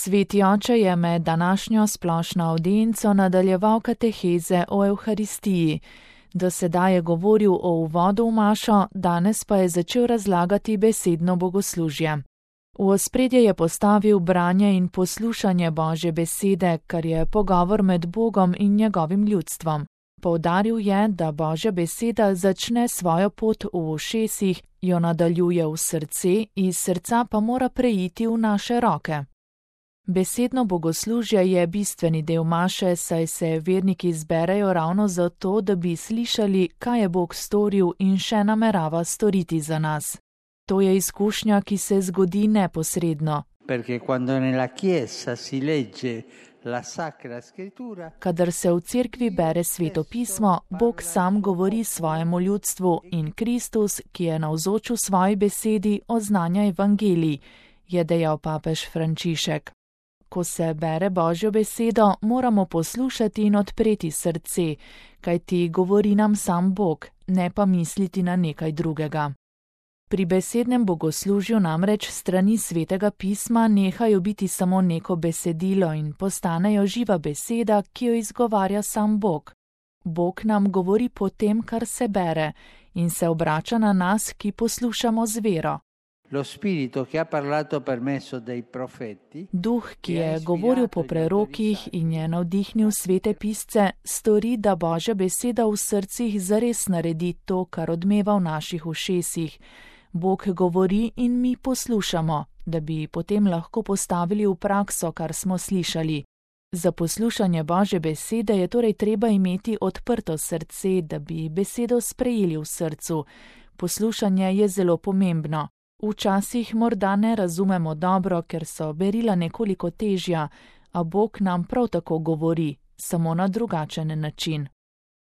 Sveti oče je med današnjo splošno avdienco nadaljeval kateheze o Evharistiji. Do sedaj je govoril o uvodu v mašo, danes pa je začel razlagati besedno bogoslužje. V ospredje je postavil branje in poslušanje Božje besede, kar je pogovor med Bogom in njegovim ljudstvom. Poudaril je, da Božja beseda začne svojo pot v ušesih, jo nadaljuje v srce, iz srca pa mora preiti v naše roke. Besedno bogoslužje je bistveni del maše, saj se verniki zberejo ravno zato, da bi slišali, kaj je Bog storil in še namerava storiti za nas. To je izkušnja, ki se zgodi neposredno. Kadar se v cerkvi bere Sveto pismo, Bog sam govori svojemu ljudstvu in Kristus, ki je navzoč v svoji besedi, oznanja evangelij, je dejal papež Frančišek. Ko se bere Božjo besedo, moramo poslušati in odpreti srce, kajti govori nam sam Bog, ne pa misliti na nekaj drugega. Pri besednem bogoslužju namreč strani Svetega pisma nehajo biti samo neko besedilo in postanejo živa beseda, ki jo izgovarja sam Bog. Bog nam govori po tem, kar se bere, in se obrača na nas, ki poslušamo z vero. Duh, ki je govoril po prerokih in je navdihnil svete pisce, stori, da Božja beseda v srcih zares naredi to, kar odmeva v naših ušesih. Bog govori in mi poslušamo, da bi potem lahko postavili v prakso, kar smo slišali. Za poslušanje Božje besede je torej treba imeti odprto srce, da bi besedo sprejeli v srcu. Poslušanje je zelo pomembno. Včasih morda ne razumemo dobro, ker so berila nekoliko težja, a Bog nam prav tako govori, samo na drugačen način.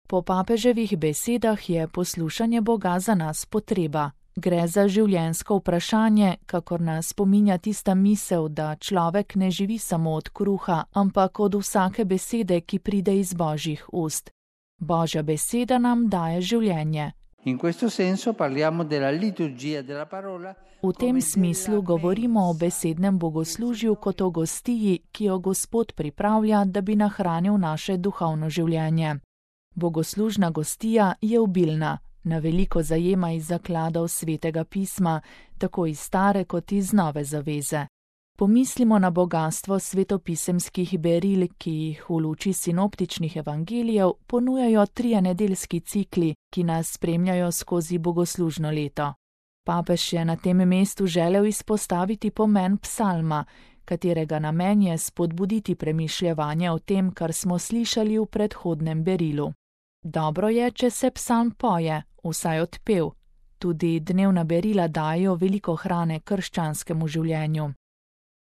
Po papeževih besedah je poslušanje Boga za nas potreba. Gre za življenjsko vprašanje, kakor nas spominja tista misel, da človek ne živi samo od kruha, ampak od vsake besede, ki pride iz Božjih ust. Božja beseda nam daje življenje. V tem smislu govorimo o besednem bogoslužju kot o gostiji, ki jo Gospod pripravlja, da bi nahranil naše duhovno življenje. Bogoslužna gostija je obilna, na veliko zajema iz zakladov Svetega pisma, tako iz stare kot iz nove zaveze. Pomislimo na bogastvo svetopisemskih beril, ki jih v luči sinoptičnih evangelijev ponujajo trije nedeljski cikli, ki nas spremljajo skozi bogoslužno leto. Papež je na tem mestu želel izpostaviti pomen psalma, katerega namen je spodbuditi premišljevanje o tem, kar smo slišali v predhodnem berilu. Dobro je, če se psalm poje, vsaj odpev. Tudi dnevna berila dajo veliko hrane krščanskemu življenju.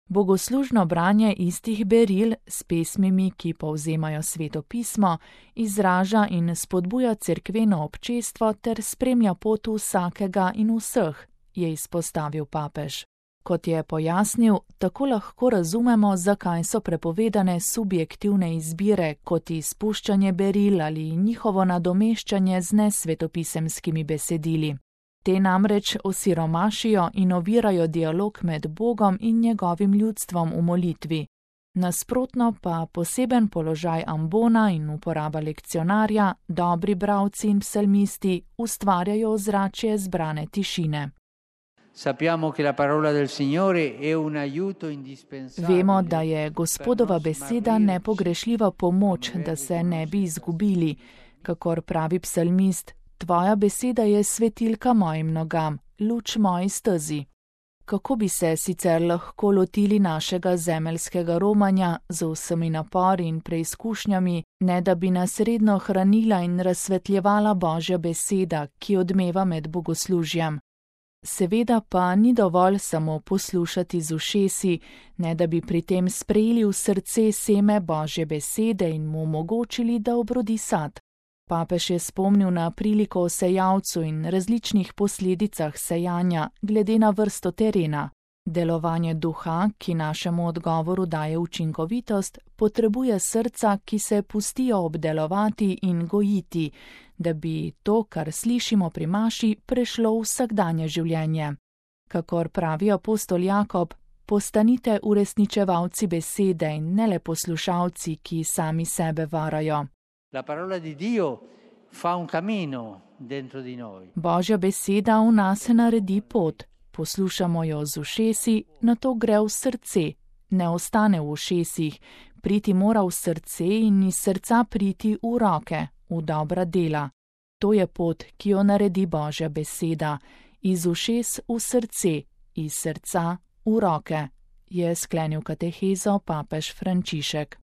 Bogoslužno branje istih beril s pesmimi, ki povzemajo Sveto pismo, izraža in spodbuja cerkveno občestvo ter spremlja pot vsakega in vseh, je izpostavil papež. Kot je pojasnil, tako lahko razumemo, zakaj so prepovedane subjektivne izbire, kot izpuščanje beril ali njihovo nadomeščanje z nesvetopisemskimi besedili. Te namreč osiromašijo in ovirajo dialog med Bogom in njegovim ljudstvom v molitvi. Nasprotno pa poseben položaj ambona in uporaba lekcionarja, dobri bralci in psalmisti ustvarjajo ozračje zbrane tišine. Vemo, da je Gospodova beseda nepogrešljiva pomoč, da se ne bi izgubili, kakor pravi psalmist, tvoja beseda je svetilka mojim nogam, luč moji stezi. Kako bi se sicer lahko lotili našega zemeljskega romanja z vsemi napori in preizkušnjami, ne da bi nas redno hranila in razsvetljevala Božja beseda, ki odmeva med bogoslužjem. Seveda pa ni dovolj samo poslušati z ušesi, ne da bi pri tem sprejeli v srce seme Božje besede in mu omogočili, da obrodi sad. Papež je spomnil na priliko o sejavcu in različnih posledicah sejanja glede na vrsto terena. Delovanje duha, ki našemu odgovoru daje učinkovitost, potrebuje srca, ki se pustijo obdelovati in gojiti, da bi to, kar slišimo pri maši, prešlo v vsakdanje življenje. Kakor pravi apostol Jakob, Postanite uresničevalci besede in ne le poslušalci, ki sami sebe varajo. La parola di Dio fa un cammino dentro di noi. Božja beseda v nas naredi pot. Poslušamo jo z ušesi, nato gre v srce. Ne ostane v ušesih, priti mora v srce in iz srca priti v roke, v dobra dela. To je pot, ki jo naredi Božja beseda. Iz ušes v srce, iz srca v roke, je sklenil katehezo papež Frančišek.